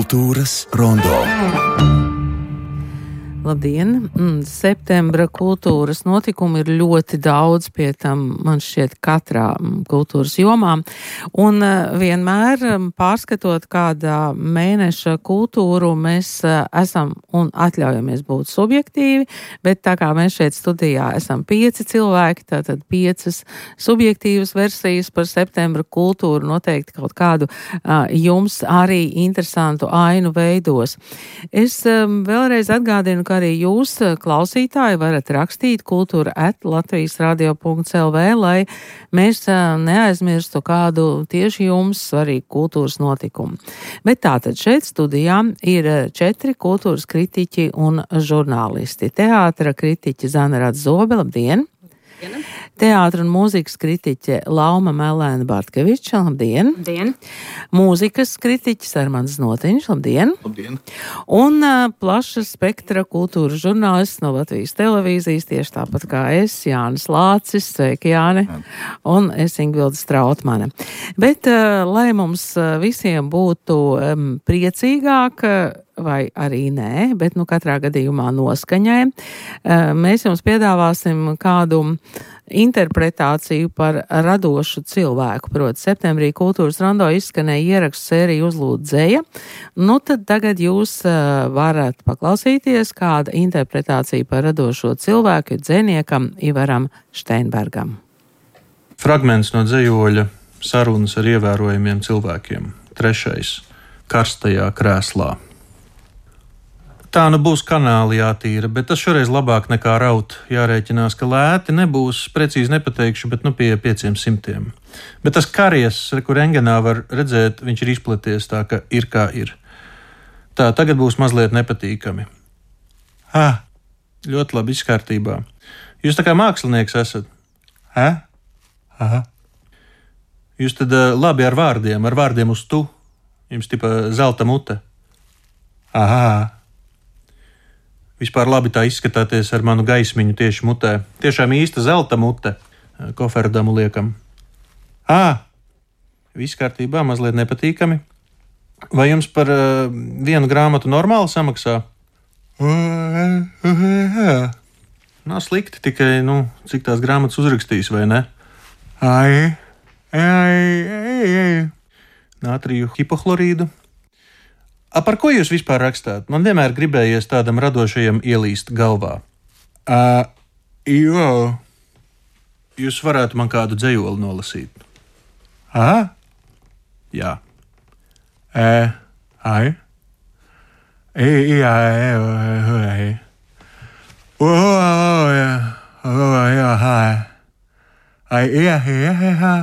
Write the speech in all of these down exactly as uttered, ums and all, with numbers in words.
Kultūras rondo. Labdien! Septembra kultūras notikumi ir ļoti daudz, pie tam man šķiet katrā kultūras jomā. Un vienmēr pārskatot kādā mēneša kultūru, mēs esam un atļaujamies būt subjektīvi, bet tā kā mēs šeit studijā esam pieci cilvēki, tātad piecas subjektīvas versijas par septembra kultūru noteikti kaut kādu uh, jums arī interesantu ainu veidos. Es um, vēlreiz atgādinu, ka arī jūs, klausītāji, varat rakstīt kultūra at latvijas radio punkts el vē, lai mēs neaizmirstu kādu tieši jums svarīgu kultūras notikumu. Bet tātad šeit studijā ir četri kultūras kritiķi un žurnālisti. Teātra kritiķe Zana Radzobe, labdien! Labdien. Teātra un mūzikas kritiķe Lauma Melēna Bartkeviča, labdien! Labdien! Mūzikas kritiķis Armands Notiņš, labdien! Labdien! Un uh, plaša spektra kultūras žurnālists no Latvijas televīzijas, tieši tāpat kā es, Jānis Lācis, sveiki Jāni, un es Ingvilda Strautmane. Bet, uh, lai mums visiem būtu um, priecīgāk, vai arī nē, bet nu katrā gadījumā noskaņai, mēs jums piedāvāsim kādu interpretāciju par radošu cilvēku. Proti, septembrī kultūras rondo izskanēja ierakstu sēriju Uzlūd dzeja. Nu, tad tagad jūs varat paklausīties kāda interpretācija par radošo cilvēku dzejniekam Ivaram Šteinbergam. Fragments no dzejoļa Sarunas ar ievērojamiem cilvēkiem. Trešais. Karstajā krēslā. Tā nu būs kanāli jātīra, bet tas šoreiz labāk nekā raut. Jārēķinās, ka lēti nebūs, precīzi nepateikšu, bet nu pie pieciem simtiem. Bet tas karies, kur rengenā var redzēt, viņš ir izplaties tā, ka ir kā ir. Tā, tagad būs mazliet nepatīkami. Ah, ļoti labi izkārtībā. Jūs tā kā mākslinieks esat? Hä? Aha. Jūs tad labi ar vārdiem, ar vārdiem uz tu. Jums tipa zelta mute. Aha. Vispār labi tā izskatāties ar manu gaismiņu tieši mutē. Tiešām īsta zelta mute. Koferdamu liekam. Ā, viss kārtībā, mazliet nepatīkami. Vai jums par uh, vienu grāmatu normāli samaksā? Nav slikti, tikai, nu, cik tās grāmatas uzrakstīs, vai ne? Ai, ai, ai, ai. Nātriju hipohlorīdu. A, par ko jūs vispār rakstāt? Man vienmēr gribējies tādam radošajam ielīst galvā. Uh, jo. Jūs varētu man kādu dzejoli nolasīt. Aha? Jā. E, ai. E, jā, e, e, e. O, jā, o, jā, ai. Ai, jā, jā, jā.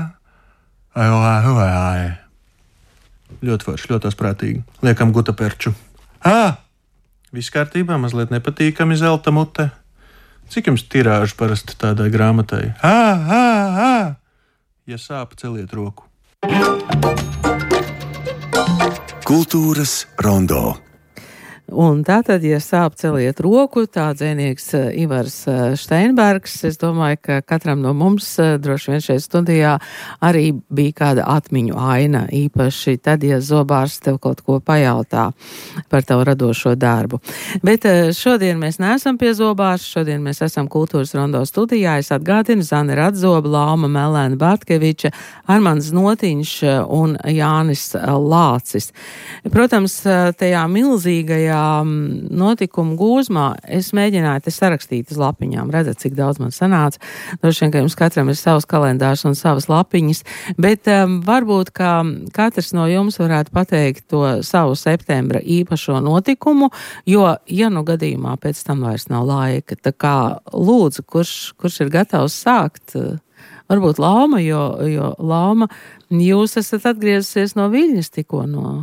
Ai, ai, ai. Ļoti forši, ļoti asprātīgi. Liekam gutaperču. Ā! Viss kārtībā, mazliet nepatīkami zelta mute. Cik jums tirāžu parasti tādai grāmatai? Ā, ā, ā! Ja sāp, celiet roku. Kultūras rondo. Un tātad, ja sāp celiet roku, tā dzejnieks Ivars Šteinbergs, es domāju, ka katram no mums droši vien šeit studijā arī bija kāda atmiņu aina, īpaši tad, ja zobārs tev kaut ko pajautā par tavu radošo darbu. Bet šodien mēs neesam pie zobārs, šodien mēs esam kultūras rondo studijā. Es atgādinu Zana Radzobe, Lauma Melēna Bartkeviča, Armands Notiņš un Jānis Lācis. Protams, tajā milzīgajā notikumu gūzmā es mēģināju te sarakstīt uz lapiņām. Redzat, cik daudz man sanāca. Droši vien, ka jums katram ir savs kalendārs un savas lapiņas, bet um, varbūt, ka katrs no jums varētu pateikt to savu septembra īpašo notikumu, jo, ja nu gadījumā pēc tam vairs nav laika, tā kā lūdzu, kurš, kurš ir gatavs sākt? Varbūt Lauma, jo, jo Lauma, jūs esat atgriezusies no Viļņas tikko no...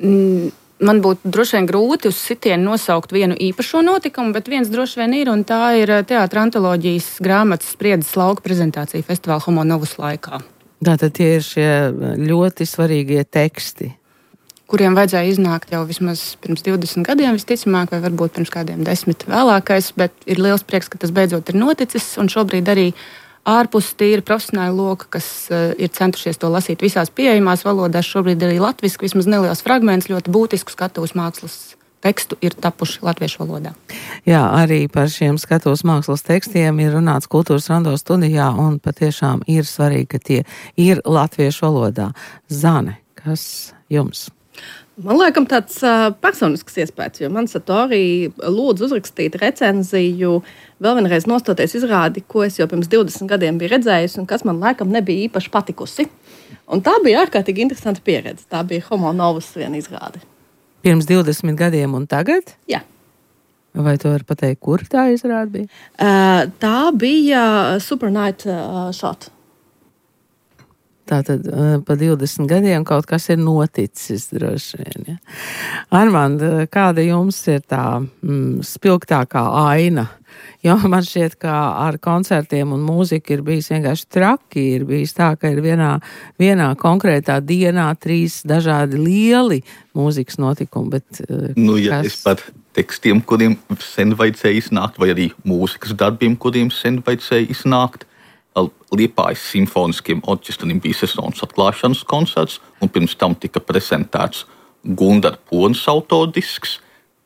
Mm. Man būtu droši vien grūti uz sitienu nosaukt vienu īpašo notikumu, bet viens droši vien ir, un tā ir teātra antoloģijas grāmatas Spriedzes lauka prezentācija festivāla Homo Novus laikā. Tātad tie ir šie ļoti svarīgie teksti. Kuriem vajadzēja iznākt jau vismaz pirms divdesmit gadiem, visticamāk, vai varbūt pirms kādiem desmit vēlākais, bet ir liels prieks, ka tas beidzot ir noticis, un šobrīd arī ārpus tīri profesionāla loka, kas ir centušies to lasīt visās pieejamās valodās, šobrīd arī latviski, vismaz neliels fragments, ļoti būtisku skatuves mākslas tekstu ir tapuši latviešu valodā. Jā, arī par šiem skatuves mākslas tekstiem ir runāts Kultūras Rondo studijā, un patiešām ir svarīgi, ka tie ir latviešu valodā. Zane, kas jums? Man liekas, tāds uh, personisks iespējas, jo man Satori lūdzu uzrakstīt recenziju, vēl vienreiz nostoties izrādi, ko es jau pirms divdesmit gadiem biju redzējusi un kas man laikam nebija īpaši patikusi. Un tā bija ārkārtīgi interesanta pieredze. Tā bija Homo Novus viena izrāde. Pirms divdesmit gadiem un tagad? Jā. Vai tu vari pateikt, kur tā izrāde bija? Uh, tā bija Super Night uh, Shot. Tātad uh, pa divdesmit gadiem kaut kas ir noticis droši vien. Ja? Armand, kāda jums ir tā mm, spilgtākā aina? Jo man šķiet, ka ar koncertiem un mūziku ir bijis vienkārši traki. Ir bijis tā, ka ir vienā, vienā konkrētā dienā trīs dažādi lieli mūzikas notikumi. Bet, uh, nu, ja kas... es par tekstiem, kuriem sen vajadzēja iznākt, vai arī mūzikas darbiem, kuriem sen vajadzēja iznākt, Liepājas simfoniskiem orķestrim bija sezonas atklāšanas koncerts, un pirms tam tika prezentēts Gundara Ponas autordisks,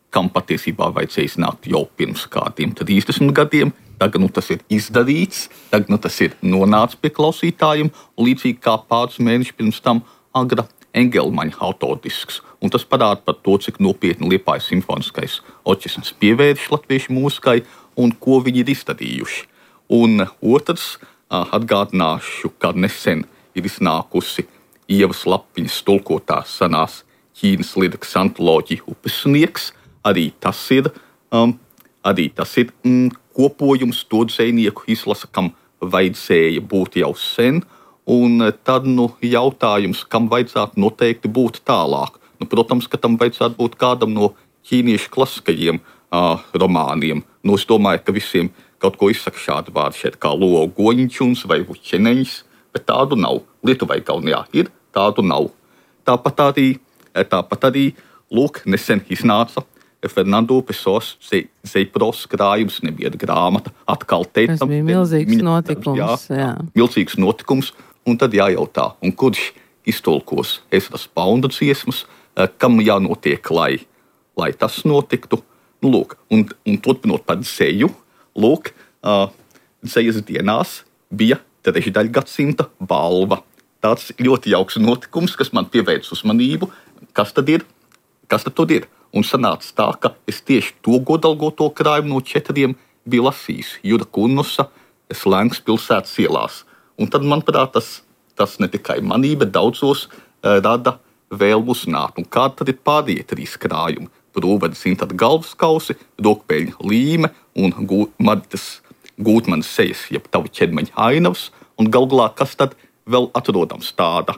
kam patiesībā vajadzēja iznākt jau pirms kādiem trīsdesmit gadiem. Tagad nu, tas ir izdarīts, tagad nu, tas ir nonācis pie klausītājiem, un līdzīgi kā pāris mēneši pirms tam Agra Engelmaņa autordisks. Un tas parāda par to, cik nopietni Liepājas simfoniskais orķestris pievērš latviešu mūzikai un ko viņi ir izdarījuši. Un otrs, atgādināšu, ka nesen ir iznākusi Ievas Lapiņas tulkotā senās Ķīnas lirikas antoloģija Upesnieks. Arī tas ir, um, arī tas ir mm, kopojums to dzejnieku izlasa, kam vajadzēja būt jau sen. Un tad nu, jautājums, kam vajadzētu noteikti būt tālāk. Nu, protams, ka tam vajadzētu būt kādam no ķīniešu klasiskajiem uh, romāniem. Nu, es domāju, ka visiem kaut ko izsaka šādu vārdu šeit, kā Luo Goņķuns vai Vuķeneņš, bet tādu nav. Lietuvai Kaunijā ir, tādu nav. Tāpat arī, tāpat arī lūk, nesen iznāca Fernando Pesos Zeipros krājums, nebieda grāmata, atkal teicam. Tas bija milzīgs viņa, notikums. Jā, jā. Milzīgs notikums, un tad jājautā, un kurš iztulkos Ezras Paunda dziesmas, kam jānotiek, lai, lai tas notiktu. Nu, lūk, un, un turpinot par dzeju, lūk, uh, dzejas dienās bija trešdaļgadsimta balva. Tāds ļoti jauks notikums, kas man pievērsa uzmanību. Kas tad ir? Kas tad tur ir? Un sanāca tā, ka es tieši to godalgoto krājumu no četriem biju lasījis. Jura Kunnusa Slēngas pilsētas ielās. Un tad, manuprāt, tas, tas ne tikai manī, bet daudzos uh, rada vēlmu uzzināt. Un kādi tad ir pārējie trīs krājumi? Rūvedes Intada galvaskausi, Rokpeļņa līme un Maritas Gūtmanas sejas, jeb tavu ķermeņa ainavas. Un galu galā, kas tad vēl atrodams tāda,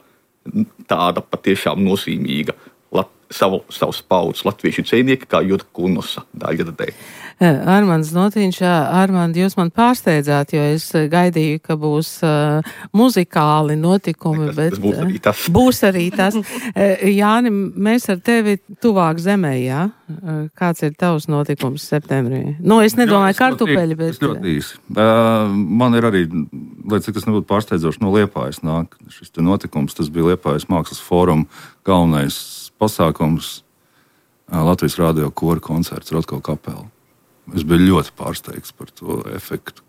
tāda patiešām nozīmīga lat, savu, savus paudzes latviešu dzejnieki kā Jura Kunnusa daļradē. Armands Notiņš, Armand, jūs man pārsteidzāt, jo es gaidīju, ka būs uh, muzikāli notikumi, tas, bet tas būs arī tas. Būs arī tas. Jāni, mēs ar tevi tuvāk zemē, jā? Kāds ir tavs notikums septembrī? Nu, es nedomāju jā, kartupeļi, bet... Es ļoti īsi. Uh, man ir arī, lai cik tas nebūtu pārsteidzoši, no Liepājas nāk šis te notikums. Tas bija Liepājas mākslas fóruma galvenais pasākums, uh, Latvijas radio kora koncerts Rotko kapela. Es biju ļoti pārsteigts par to efektu,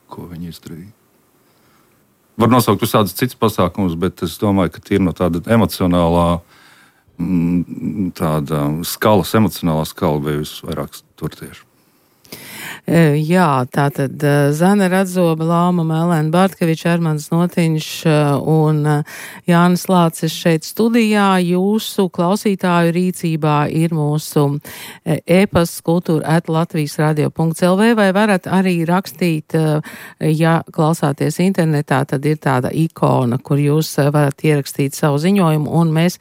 ko viņi izdarīja. Var nosaukt visādus citus pasākumus, bet es domāju, ka tīri no tāda emocionālā, tāda skalas, emocionālā skala bija visvairāk tur tieši. Jā, tātad Zane Radzoba, Lauma Melēna Bartkeviča, Armands Notiņš un Jānis Lācis šeit studijā. Jūsu klausītāju rīcībā ir mūsu e-pasts kultūra at latvijas radio punkts el vē, vai varat arī rakstīt, ja klausāties internetā, tad ir tāda ikona, kur jūs varat ierakstīt savu ziņojumu, un mēs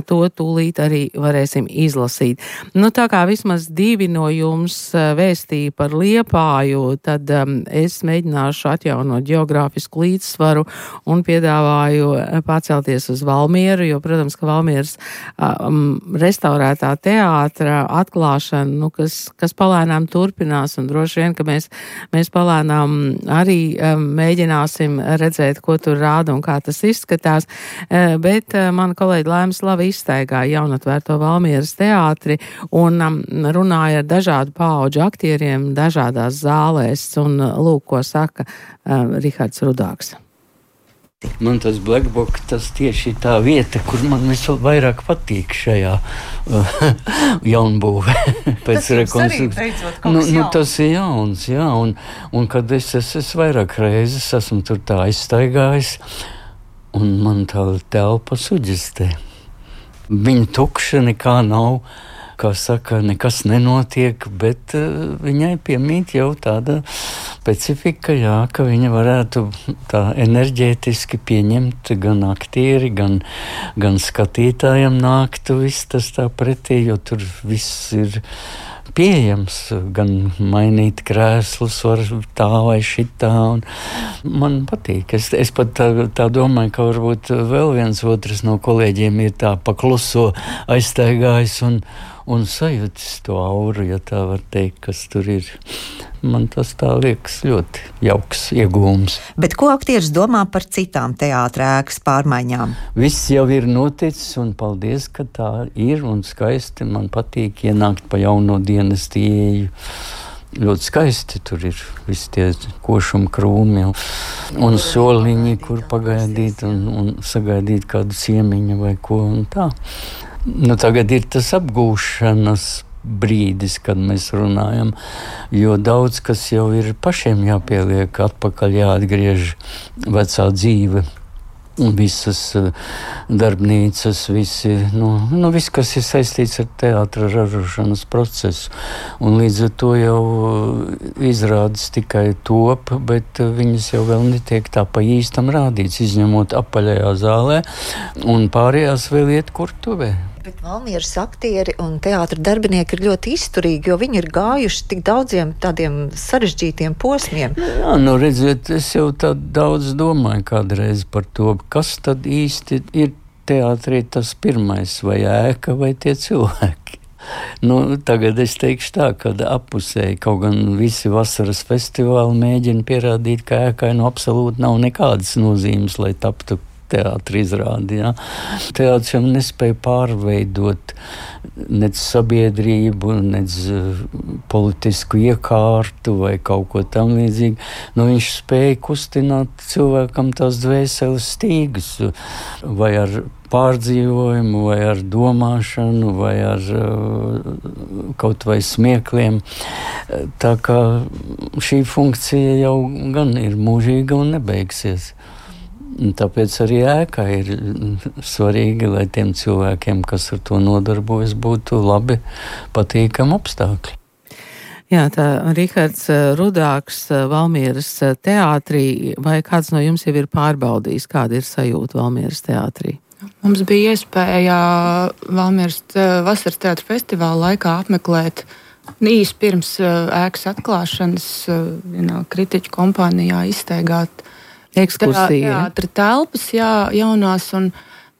to tūlīt arī varēsim izlasīt. Nu, tā kā vismaz divi no jums vēstīja par Liepāju, tad um, es mēģināšu atjaunot geogrāfisku līdzsvaru un piedāvāju pacelties uz Valmieru, jo, protams, ka Valmieras um, restaurētā teātra atklāšana, nu, kas, kas palēnām turpinās, un droši vien, ka mēs, mēs palēnām arī um, mēģināsim redzēt, ko tur rāda un kā tas izskatās, uh, bet uh, mana kolēģi Laimas Lava izstaigāja jaunatvērto Valmieras teātri un um, runāja ar dažādu paudžu aktieriem dažādās zālēs, un uh, lūk, ko saka uh, Rihards Rudāks. Man tas Black Book, tas tieši tā vieta, kur man visvairāk patīk šajā uh, jaunbūvē. Pēc rekonstrukcijas. Nu, nu, tas ir jauns, jā, un, un kad es, es, es vairāk reizes esmu tur tā aizstaigājis, un man tā telpa suģistē. Viņa tukša, nekā nav, kā saka, nekas nenotiek, bet uh, viņai piemīt jau tāda specifika, jā, ka viņa varētu tā enerģētiski pieņemt gan aktieri, gan, gan skatītājiem nāktu viss tas tā pretī, jo tur viss ir pieejams, gan mainīt krēslus var tā vai šitā, un man patīk. Es, es pat tā, tā domāju, ka varbūt vēl viens otrs no kolēģiem ir tā pakluso aizstaigājis un, un sajūtis to auru, ja tā var teikt, kas tur ir. Man tas tā liekas ļoti jauks iegūms. Bet ko aktieris domā par citām teātra ēkas pārmaiņām? Viss jau ir noticis, un paldies, ka tā ir, un skaisti. Man patīk ienākt pa jauno dienas ieeju. Ļoti skaisti tur ir visi tie košuma krūmi un soliņi, kur pagaidīt un, un sagaidīt kādu ciemiņu vai ko un tā. Nu, tagad ir tas apgūšanas brīdis, kad mēs runājam, jo daudz kas jau ir pašiem jāpieliek atpakaļ, jāatgriež vecā dzīve. Visas darbnīcas, visi, nu, nu, viss, kas ir saistīts ar teātra ražošanas procesu. Un līdz ar to jau izrādes tikai top, bet viņas jau vēl netiek tā pa īstam rādīts, izņemot apaļajā zālē, un pārējās vēl iet kurtuvē. Bet Valmieras aktieri un teātra darbinieki ir ļoti izturīgi, jo viņi ir gājuši tik daudziem tādiem sarežģītiem posmiem. Jā, nu redziet, es jau tā daudz domāju kādreiz par to, kas tad īsti ir teātrī tas pirmais, vai ēka, vai tie cilvēki. Nu, tagad es teikšu tā, ka appusēji, kaut gan visi vasaras festivāli mēģina pierādīt, ka ēkai nu absolūti nav nekādas nozīmes, lai taptu teātra izrādi. Ja? Teātris jau nespēja pārveidot nec sabiedrību, nec politisku iekārtu vai kaut ko tam līdzīgu. Nu, viņš spēja kustināt cilvēkam tās dvēseles stīgas vai ar pārdzīvojumu, vai ar domāšanu, vai ar uh, kaut vai smiekliem. Tā kā šī funkcija jau gan ir mūžīga un nebeigsies. Tāpēc arī ēkā ir svarīgi, lai tiem cilvēkiem, kas ar to nodarbojas, būtu labi patīkami apstākļi. Jā, tā Rihards Rudāks Valmieras teātrī, vai kāds no jums jau ir pārbaudījis, kāda ir sajūta Valmieras teātrī? Mums bija iespēja Valmieras vasaras teātra festivāla laikā apmeklēt īsi pirms ēkas atklāšanas vienā kritiķu kompānijā izstaigāt ekskursija. Teātra telpas, jā, jaunās, un,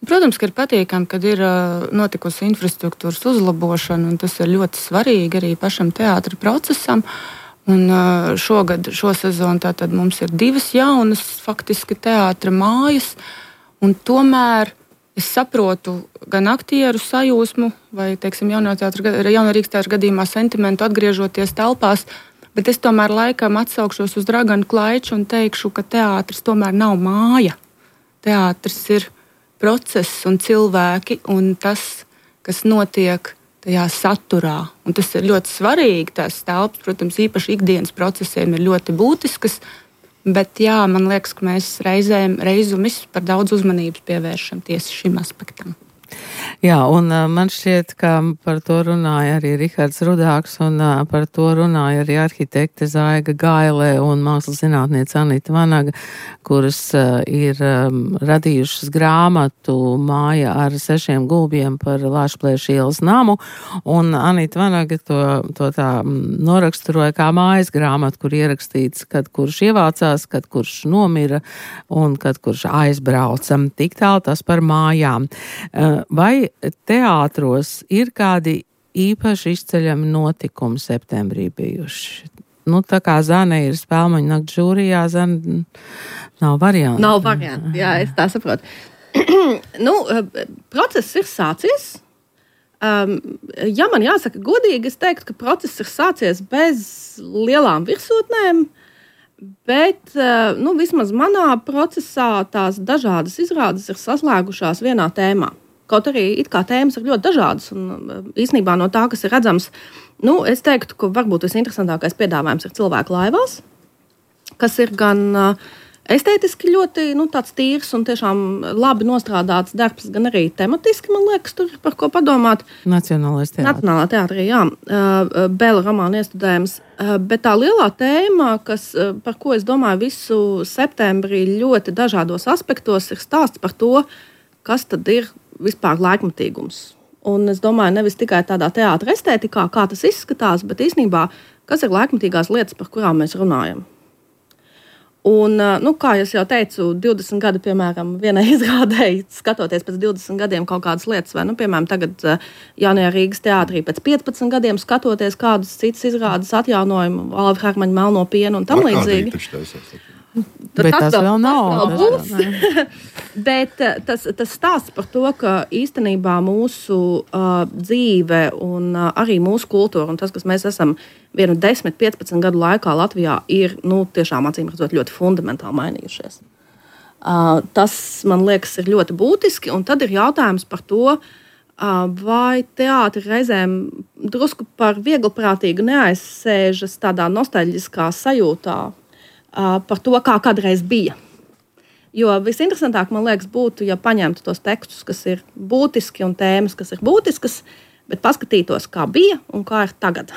protams, ka ir patīkami, kad ir uh, notikusi infrastruktūras uzlabošana, un tas ir ļoti svarīgi arī pašam teātra procesam. Un uh, šogad, šo sezonu, tātad mums ir divas jaunas, faktiski teātra mājas, un tomēr es saprotu gan aktieru sajūsmu, vai, teiksim, jaunā teātra, jaunā Rīgas teātra gadījumā sentimentu atgriežoties telpās, bet es tomēr laikam atsaukšos uz Draganu Klaiču un teikšu, ka teātris tomēr nav māja. Teātris ir process un cilvēki un tas, kas notiek tajā saturā. Un tas ir ļoti svarīgi. Tās telpas, protams, īpaši ikdienas procesiem ir ļoti būtiskas, bet jā, man liekas, ka mēs reizēm reizumis par daudz uzmanības pievēršam tieši šim aspektam. Jā, un uh, man šķiet, ka par to runāja arī Rihards Rudāks, un uh, par to runāja arī arhitekte Zaiga Gailē un mākslas zinātniece Anita Vanaga, kuras uh, ir um, radījušas grāmatu Māja ar sešiem gulbiem par Lāčplēša ielas namu, un Anita Vanaga to, to tā noraksturoja kā mājas grāmatu, kur ierakstīts, kad kurš ievācās, kad kurš nomira un kad kurš aizbrauca. Tik tālu tas par mājām. Uh, vai teātros ir kādi īpaši izceļami notikumi septembrī bijuši? Nu, tā kā Zane ir Spēlmaņu nakts žūrijā, Zane nav variantu. Nav variantu, jā, es tā saprotu. nu, process ir sācies. Um, ja man jāsaka godīgi, es teiktu, ka process ir sācies bez lielām virsotnēm, bet nu, vismaz manā procesā tās dažādas izrādes ir saslēgušās vienā tēmā. Kaut arī it kā tēmas ir ļoti dažādas, un īstenībā no tā, kas ir redzams, nu, es teiktu, ka varbūt visinteresantākais piedāvājums ir cilvēku laivās, kas ir gan estētiski ļoti nu, tāds tīrs un tiešām labi nostrādāts darbs, gan arī tematiski, man liekas, tur ir par ko padomāt. Nacionālais teātris. Nacionālā teātrī, jā. Bēla romāna iestudējums. Bet tā lielā tēma, kas, par ko es domāju visu septembrī ļoti dažādos aspektos, ir stāsts par to, kas tad ir vispār laikmatīgums. Un es domāju, nevis tikai tādā teātra estētikā, kā tas izskatās, bet īstenībā, kas ir laikmatīgās lietas, par kurām mēs runājam. Un, nu, kā es jau teicu, divdesmit gadi, piemēram, vienai izrādēji, skatoties pēc divdesmit gadiem kaut kādas lietas, vai, nu, piemēram, tagad jaunajā Rīgas teātrī pēc piecpadsmit gadiem skatoties kādas citas izrādes atjaunojumu, Alva Hermaņa Melno pienu un tam līdzīgi. Bet tas, tas vēl nav. Tas vēl būs. Bet tas, tas stāsts par to, ka īstenībā mūsu uh, dzīve un uh, arī mūsu kultūra un tas, kas mēs esam vienu desmit, piecpadsmit gadu laikā Latvijā, ir nu, tiešām acīm redzot ļoti fundamentāli mainījušies. Uh, tas, man liekas, ir ļoti būtiski, un tad ir jautājums par to, uh, vai teātri reizēm drusku par vieglprātīgu neaizsēžas tādā nostalģiskā sajūtā, par to, kā kādreiz bija. Jo visinteresantāk, man liekas, būtu, ja paņemtu tos tekstus, kas ir būtiski un tēmas, kas ir būtiskas, bet paskatītos, kā bija un kā ir tagad.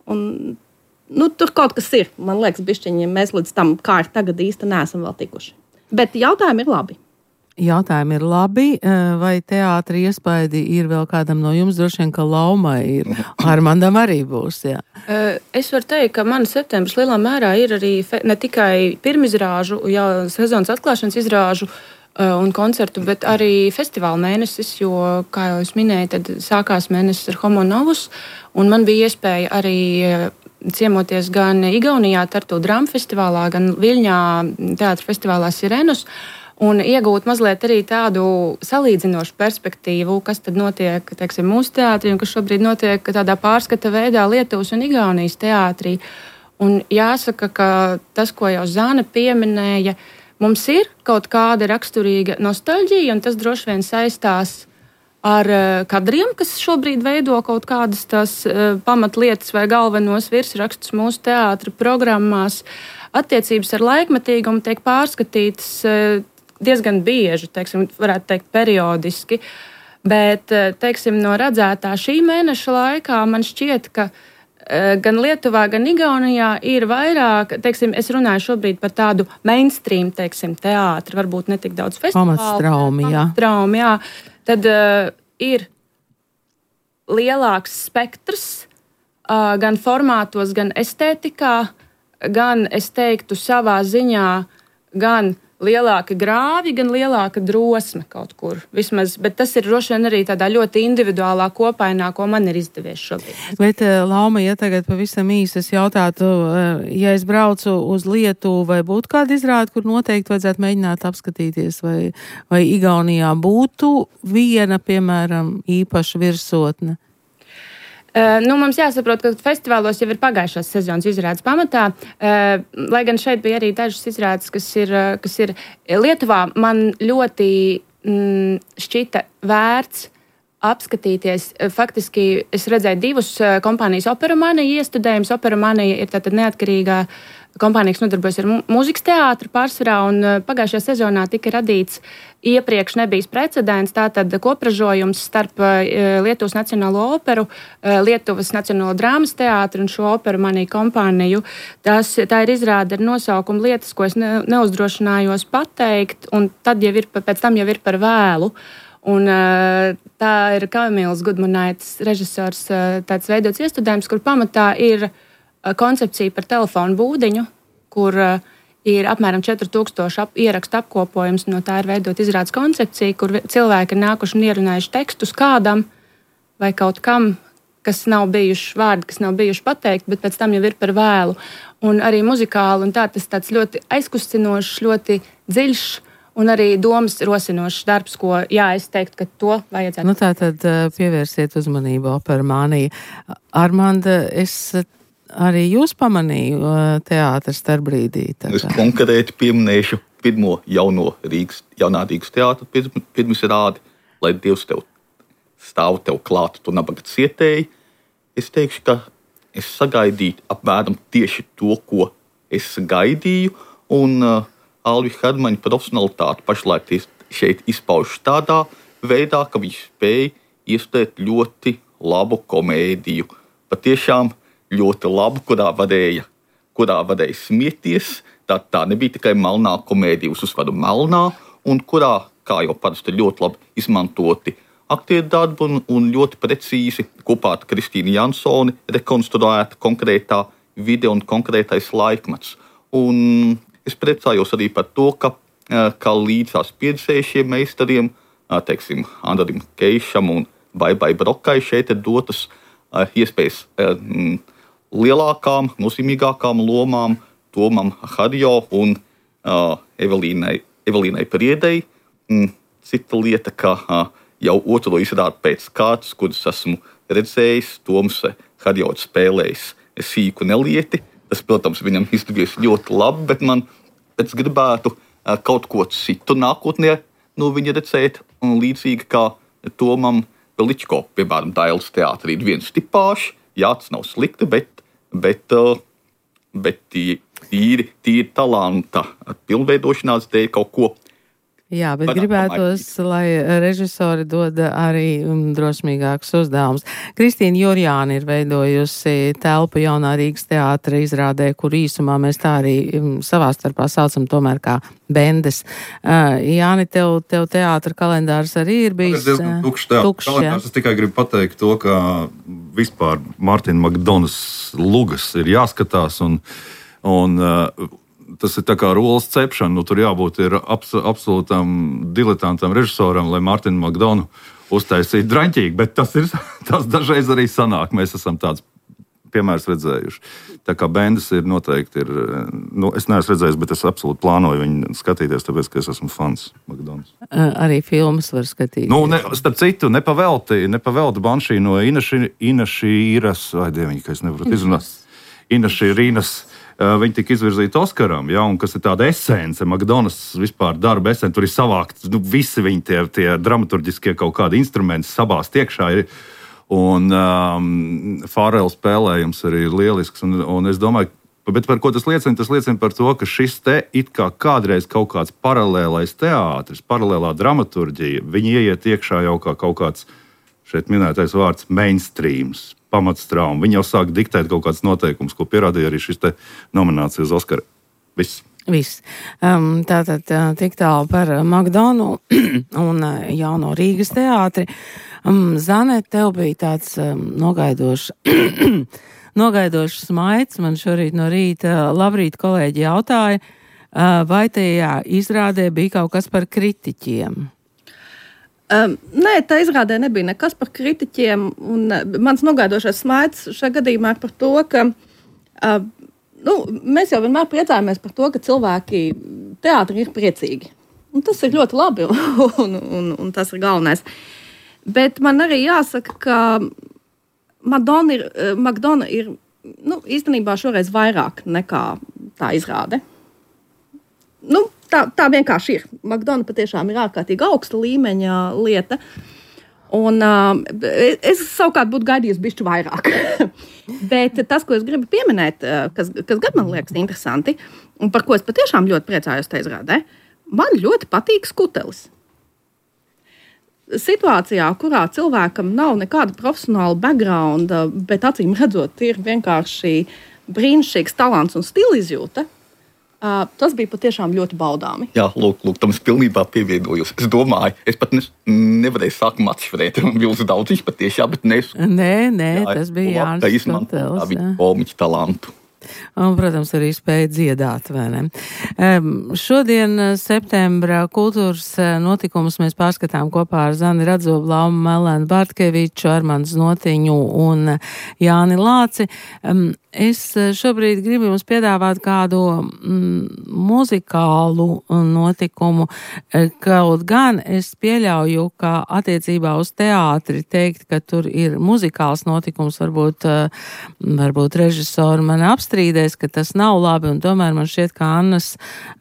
Un, nu, tur kaut kas ir. Man liekas, bišķiņi, mēs līdz tam, kā ir tagad, īsti neesam vēl tikuši. Bet jautājumi ir labi. Jautājumi ir labi, vai teātri iespaidi ir vēl kādam no jums, droši vien, ka Laumai ir, Armandam arī būs, jā. Es varu teikt, ka man septembris lielā mērā ir arī ne tikai pirmizrāžu, jau sezonas atklāšanas izrāžu un koncertu, bet arī festivāla mēnesis, jo, kā jau es minēju, tad sākās mēnesis ar Homo Novus, un man bija iespēja arī ciemoties gan Igaunijā Tartu Drama festivālā, gan Viļņā teātra festivālā Sirenus, un iegūt mazliet arī tādu salīdzinošu perspektīvu, kas tad notiek, teiksim, mūsu teātrī, un kas šobrīd notiek tādā pārskata veidā Lietuvas un Igaunijas teātrī. Un jāsaka, ka tas, ko jau Zāne pieminēja, mums ir kaut kāda raksturīga nostalģija, un tas droši vien saistās ar kadriem, kas šobrīd veido kaut kādas tās pamatlietas vai galvenos virsrakstus mūsu teātra programmās. Attiecības ar laikmetīgumu tiek pārskatītas diezgan bieži, teiksim, varētu teikt periodiski, bet, teiksim, no redzētā šī mēneša laikā man šķiet, ka gan Lietuvā, gan Igaunijā ir vairāk, teiksim, es runāju šobrīd par tādu mainstream, teiksim, teātri, varbūt ne tik daudz festivālu. Pamatstraumi, jā. Pamatstraumi, jā. Tad uh, ir lielāks spektrs, uh, gan formātos, gan estētikā, gan, es teiktu, savā ziņā, gan lielāka grāvi, gan lielāka drosme kaut kur. Vismaz, bet tas ir droši vien arī tādā ļoti individuālā kopainā, ko man ir izdevies šobrīd. Bet, Lauma, ja tagad pavisam īsi es jautātu, ja es braucu uz Lietuvu, vai būtu kāda izrāde, kur noteikti vajadzētu mēģināt apskatīties, vai, vai Igaunijā būtu viena, piemēram, īpaša virsotne? Uh, nu, mums jāsaprot, ka festivālos jau ir pagājušās sezonas izrādes pamatā, uh, lai gan šeit bija arī dažas izrādes, kas ir, kas ir Lietuvā. Man ļoti mm, šķita vērts apskatīties. Faktiski es redzēju divus kompānijas Operamanija iestudējumus. Operamanija ir tātad neatkarīgā kompānija, kas nodarbojas ar mūzikas teātru pārsvarā, un pagājušajā sezonā tika radīts iepriekš nebijis precedents, tātad kopražojums starp Lietuvas Nacionālo operu, Lietuvas Nacionālo drāmas teātru un šo Operamanija kompāniju. Tas, tā ir izrāde ar nosaukumu lietas, ko es ne, neuzdrošinājos pateikt, un tad jau ir, pēc tam jau ir par vēlu. Un, tā ir Kamils Gudmanaitis režisors tāds veidots iestudējums, kur pamatā ir koncepcija par telefonu būdiņu, kur ir apmēram četri tūkstoši ap, ierakstu apkopojums. No tā ir veidot izrādes koncepcija, kur cilvēki ir nākuši un ierunājuši tekstus kādam vai kaut kam, kas nav bijuši vārdi, kas nav bijuši pateikti, bet pēc tam jau ir par vēlu. Un arī muzikāli, un tā tas tāds ļoti aizkustinošs, ļoti dziļš un arī domas rosinošs darbs, ko, jā, es teiktu, ka to vajadzētu. Nu tā tad pievērsiet uzmanību Operamanija. Armanda, es arī jūs pamanīju teātras starpbrīdī. Es konkrēti pieminēšu pirmo jauno Rīgas, jaunā Rīgas teātra pirmizrādi, lai Dievs tev stāv tev klāt, tu nabaga cietēji. Es teikšu, ka es sagaidīju apmēram tieši to, ko es gaidīju, un uh, Alvi Hermaņa profesionalitāte pašlaik šeit izpauž tādā veidā, ka viņš spēja iestudēt ļoti labu komēdiju. Patiešām ļoti labu, kurā varēja, kurā varēja smieties. Tā, tā nebija tikai melnā komēdija uz uzvaru melnā, un kurā, kā jau parasti, ļoti labi izmantoti aktieru darbu un, un ļoti precīzi kopā ar Kristīnu Jansoni rekonstruēta konkrētā vide un konkrētais laikmets. Un es priecājos arī par to, ka, ka līdzās pieredzējušiem meistariem, teiksim, Andrim Keišam un Baibai Brokai šeit ir dotas iespējas lielākām, nozīmīgākām lomām Tomam Harjo un uh, Evelīnai, Evelīnai Priedei. Mm, cita lieta, ka uh, jau otro izrādi pēc kārtas, kuras esmu redzējis, Toms Harjo spēlējis sīku nelieti. Tas, protams, viņam izdevies ļoti labi, bet man pēc gribētu uh, kaut ko citu nākotnē no viņa redzēt. Un līdzīgi kā Tomam Veličko, piemēram, Dailes teātrī ir viens tipāšs. Jā, tas nav slikti, bet Bet, bet tīri, tīri talanta pilnveidošanās dēļ kaut ko. Jā, bet gribētos, lai režisori dod arī drosmīgākus uzdevumus. Kristīna Jurjāna ir veidojusi telpu Jaunā Rīgas teātra izrādē, kur īsumā mēs tā arī savā starpā saucam tomēr kā bendes. Uh, Jāni, tev, tev teātra kalendārs arī ir bijis diezgan tukšs teātra kalendārs. Es tikai gribu pateikt to, ka vispār Mārtiņa Makdonas lugas ir jāskatās un, un uh, tas ir tā kā rolas cepšana. Nu, tur jābūt ir abs, absolūtam diletantam režisoram, lai Mārtiņu Makdonu uztaisītu draņķīgi, bet tas, ir, tas dažreiz arī sanāk. Mēs esam tāds piemērs redzējuši. Tā kā bendes ir noteikti ir, nu, es neesmu redzējis, bet es absolūti plānoju viņu skatīties, tāpēc, ka es esmu fans Makdonas. Arī filmas var skatīties. Nu, ne, starp citu, nepavelti, nepavelti Banšī no Inaši, Inašīras, vai dieviņi, ka es nevaru izrunāt, Inašīrinas. Viņi tika izvirzīti Oskaram, ja, un kas ir tāda esence, Makdonas vispār darba esence, tur ir savākt, nu, visi viņi tie, tie dramaturģiskie kaut kādi instrumenti sabāzt iekšā ir, un um, Fārela spēlējums arī ir lielisks, un, un es domāju, bet par ko tas liecina? Tas liecina par to, ka šis te it kā kādreiz kaut kāds paralēlais teātris, paralēlā dramaturģija, viņi ieiet iekšā jau kā kaut kāds, šeit minētais vārds, mainstreams, pamatstrauma. Viņi jau sāk diktēt kaut kāds noteikums, ko pierādīja arī šis te nominācija uz Oskaru. Viss. Viss. Um, tātad tik tālu par Makdonu un Jauno Rīgas teātri. Um, Zane, tev bija tāds um, nogaidošs, nogaidošs smaids. Man šorīt no rīta labrīt kolēģi jautāja, uh, vai tajā izrādē bija kaut kas par kritiķiem. Um, nē, tā izrādē nebija nekas par kritiķiem. Un, uh, mans nogaidošais smaids šajā gadījumā ir par to, ka uh, nu, mēs jau vienmēr priecājamies par to, ka cilvēki teātri ir priecīgi. Un tas ir ļoti labi, un, un, un tas ir galvenais. Bet man arī jāsaka, ka Madonna ir, Makdona ir nu, īstenībā šoreiz vairāk nekā tā izrāde. Nu, tā, tā vienkārši ir. Makdona patiešām ir ārkārtīgi augsta līmeņa lieta. Un, uh, es savukārt būtu gaidījusi bišķi vairāk. Bet tas, ko es gribu pieminēt, kas, kas gan man liekas interesanti, un par ko es patiešām ļoti priecājos te izrādē, man ļoti patīk skutelis. Situācijā, kurā cilvēkam nav nekāda profesionāla backgrounda, bet acīm redzot, ir vienkārši brīnišķīgs talants un stila izjūta, uh, tas bija patiešām ļoti baudāmi. Jā, lūk, lūk, tam es pilnībā pievienojos. Es domāju, es pat ne, nevarēju sākumā atšķirēt, un vilzu daudziņš patiešām, bet nes. Nē, nē, jā, tas bija Jānis Skutelis. Tā viņa komiķa talantu. Un, protams, arī spēja dziedāt, vai ne? Um, šodien, septembra kultūras notikumus mēs pārskatām kopā ar Zani Radzoblau, Melēnu Bartkeviču, Armandu Znotiņu un Jāni Lāci. Um, es šobrīd gribu jums piedāvāt kādu mm, muzikālu notikumu, kaut gan es pieļauju, ka attiecībā uz teātri teikt, ka tur ir muzikāls notikums, varbūt, varbūt režisori man apstrīdēs, ka tas nav labi, un tomēr man šķiet, ka Annas,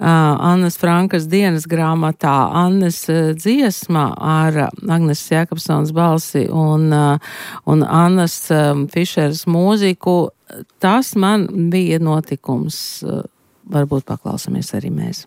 Annas Frankas dienas grāmatā Annes dziesma ar Agnes Jakobsons balsi un, un Annas Fišeras mūziku, tas man bija notikums. Varbūt paklausamies arī mēs.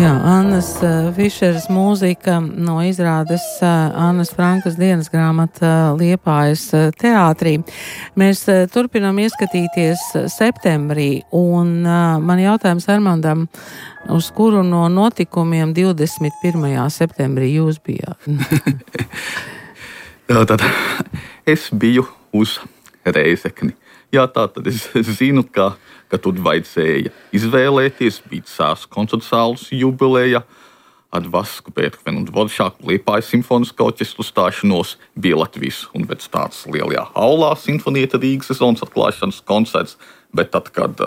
Jā, Annas Fišeras mūzika no izrādes Annas Frankas dienas grāmata Liepājas teātrī. Mēs turpinām ieskatīties septembrī, un man jautājums Armandam, uz kuru no notikumiem divdesmit pirmajā septembrī jūs bijāt? Jā, tad es biju uz Reizekni. Jā, tā tad es zinu, ka, ka tur vajadzēja izvēlēties, bija Cēsu koncertu zāles jubileja, ar Vasku Pēterkvenu un Dvoršāku Liepājas simfoniskā orķestra stāšanos, bija Latvijas universitātes lielajā aulā simfonieta Rīgas sezonas atklāšanas koncerts, bet tad, kad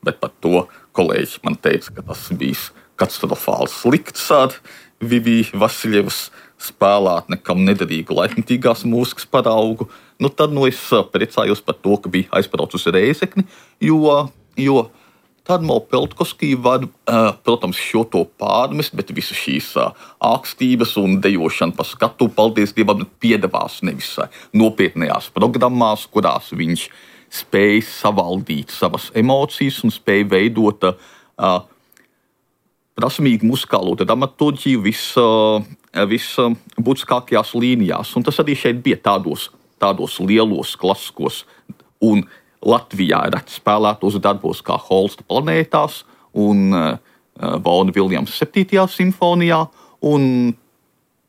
bet par to kolēģi man teica, ka tas bijis katastrofāli slikts ar Viviju Vasiljevas spēlēt nekam nederīgu laikmatīgās mūzikas paraugu, nu tad nu es priecājos par to, ka bija aizbrauc uz Reizekni, jo, jo Tadmo Peltkovskij var, protams, šo to pārmest, bet visu šīs ākstības un dejošana pa skatu, paldies Dievam, piedevās nevis nopietnējās programmās, kurās viņš spēja savaldīt savas emocijas un spēja veidot uh, prasmīgu muzikālo dramaturģiju visbūtiskākajās vis līnijās. Un tas arī šeit bija tādos, tādos lielos klasiskos un Latvijā reti spēlētos darbos kā Holsta planētās un uh, Vaughan Williams septītajā simfonijā. Un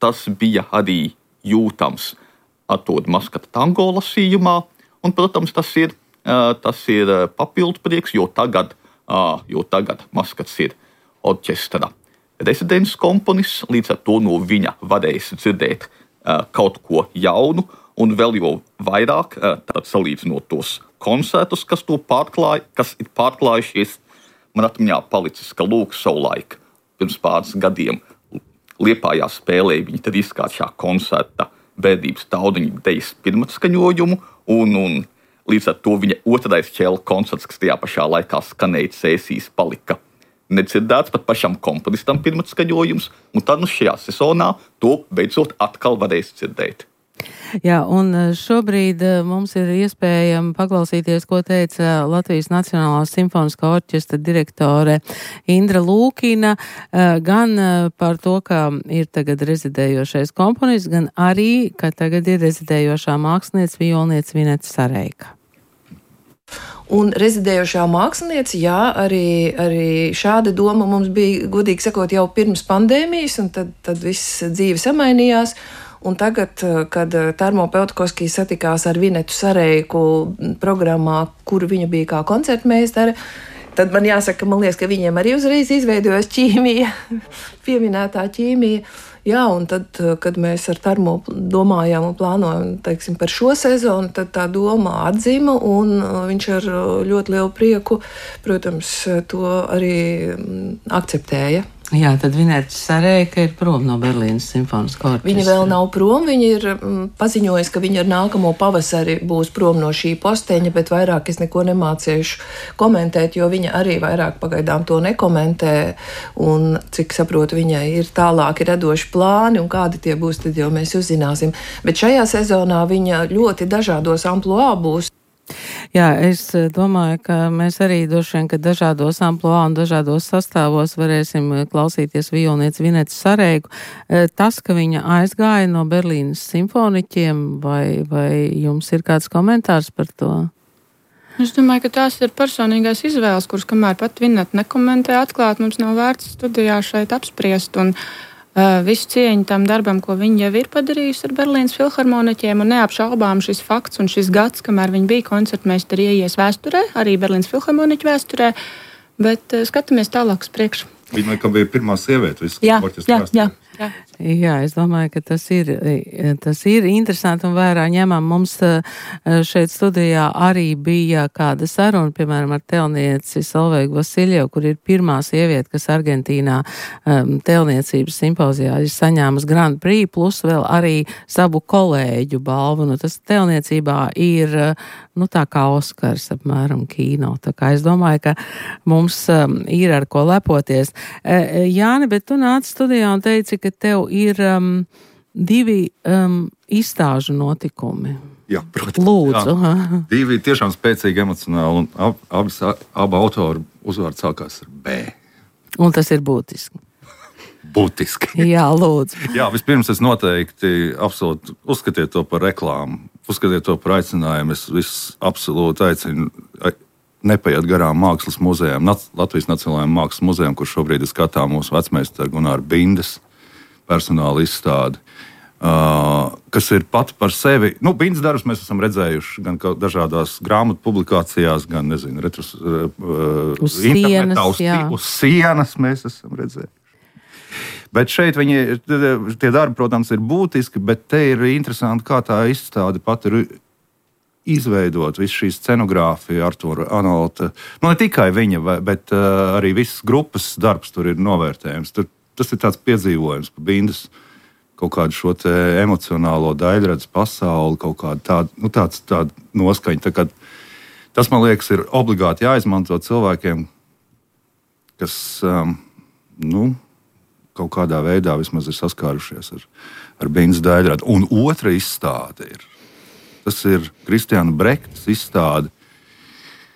tas bija arī jūtams Artūra Maskata tango lasījumā. Un, protams, tas ir, uh, tas ir papildu prieks, jo tagad, uh, jo tagad Maskats ir orķestra rezidents komponists, līdz ar to no viņa varēs dzirdēt uh, kaut ko jaunu, un vēl jau vairāk uh, salīdzinot tos koncertus, kas to pārklāja, kas ir pārklājušies. Man atmiņā palicis, ka lūk savulaik pirms pāris gadiem Liepājā spēlēja viņa trīskāršā koncerta Bērdības taudiņu dejas pirmatskaņojumu, un, un līdz ar to viņa otrais ķēla koncerts, kas tajā pašā laikā skanēja Cēsīs, palika nedzirdēts pat pašam komponistam pirmatskaņojums, un tad nu šajā sezonā to beidzot atkal varēs dzirdēt. Jā, un šobrīd mums ir iespēja paklausīties, ko teica Latvijas Nacionālās simfoniskā orķestra direktore Indra Lūkina, gan par to, ka ir tagad rezidējošais komponists, gan arī, ka tagad ir rezidējošā mākslinieca violniece Vineta Sareika. Un rezidējošā mākslinieca, jā, arī, arī šāda doma mums bija, godīgi sakot, jau pirms pandēmijas, un tad, tad viss dzīve samainījās. Un tagad, kad Tarmo Peltkovskij satikās ar Vinetu Sareiku programmā, kur viņa bija kā koncertmeistare, tad man jāsaka, man liekas, ka viņiem arī uzreiz izveidojas ķīmija, pieminētā ķīmija. Jā, un tad, kad mēs ar Tarmo domājām un plānojam, teiksim, par šo sezonu, tad tā doma atzima, un viņš ar ļoti lielu prieku, protams, to arī akceptēja. Jā, tad Vineta Sarēka ir prom no Berlīnas simfoniskā orķestra. Viņa vēl nav prom, viņa ir mm, paziņojusi, ka viņa ar nākamo pavasari būs prom no šī posteņa, bet vairāk es neko nemācīšu komentēt, jo viņa arī vairāk pagaidām to nekomentē, un cik saprotu, viņai ir tālāki radoši plāni, un kādi tie būs, tad jau mēs uzzināsim. Bet šajā sezonā viņa ļoti dažādos amploā būs. Jā, es domāju, ka mēs arī droši vien, ka dažādos amploā un dažādos sastāvos varēsim klausīties violnieci Vinetu Sarēku. Tas, ka viņa aizgāja no Berlīnas simfoniķiem, vai, vai jums ir kāds komentārs par to? Es domāju, ka tās ir personīgais izvēles, kuras kamēr pat Vineta nekomentē atklāt, mums nav vērts studijā šeit apspriest. Un Uh, visu cieņu tam darbam, ko viņa jau ir padarījusi ar Berlīnas filharmoniķiem, un neapšaubām šis fakts un šis gads, kamēr viņa bija koncertmeistara ieies vēsturē, arī Berlīnas filharmoniķu vēsturē, bet uh, skatāmies tālāk uz priekšu. Viņa laikam bija pirmā sieviete visu jā, orķestra jā, jā, jā. Jā, es domāju, ka tas ir, tas ir interesanti un vērā ņemam. Mums šeit studijā arī bija kāda saruna, piemēram, ar telnieci Solveigu Vasiljevu, kur ir pirmā sieviete, kas Argentīnā um, telniecības simpozijā ir saņēmusi Grand Prix, plus vēl arī savu kolēģu balvu. Nu, tas telniecībā ir, nu, tā kā Oskars apmēram kino. Tā kā es domāju, ka mums um, ir ar ko lepoties. E, Jāni, bet tu nāc studijā un teici, ka tev ir um, divi um, izstāžu notikumi. Jā, protams. Lūdzu. Jā. Divi tiešām spēcīgi emocionāli, un ab, abas, abu autoru uzvārds sākās ar B. Un tas ir būtiski. Būtiski. Jā, lūdzu. Jā, vispirms es noteikti absolūti uzskatiet to par reklāmu, uzskatiet to par aicinājumu. Es viss absolūti aicinu nepaiet garām mākslas muzejām, Latvijas Nacionālajiem mākslas muzejām, kur šobrīd ir skatām mūsu vecmeistaru Gunāra Bindes personāla izstādi, uh, kas ir pat par sevi. Nu, Bindes darbus mēs esam redzējuši gan dažādās grāmatu publikācijās, gan, nezinu, retros, uh, uz internetā, uz, uz sienas mēs esam redzējuši. Bet šeit viņi, tie darbi, protams, ir būtiski, bet te ir interesanti, kā tā izstāde pat ir izveidot visu šī scenogrāfija, Artūra Anolta. Nu, ne tikai viņa, bet uh, arī visas grupas darbs tur ir novērtējums. Tur, tas ir tāds piedzīvojums par Bindes kaut kādu šo te emocionālo daļradzi pasauli, kaut kādu tādu, nu, tāds, tādu noskaņu. Tā kā, tas, man liekas, ir obligāti jāizmanto cilvēkiem, kas, um, nu, kaut kādā veidā vismaz ir saskārušies ar, ar Bindes daļradi. Un otra izstāde ir Tas ir Kristiāna Brektas izstāde.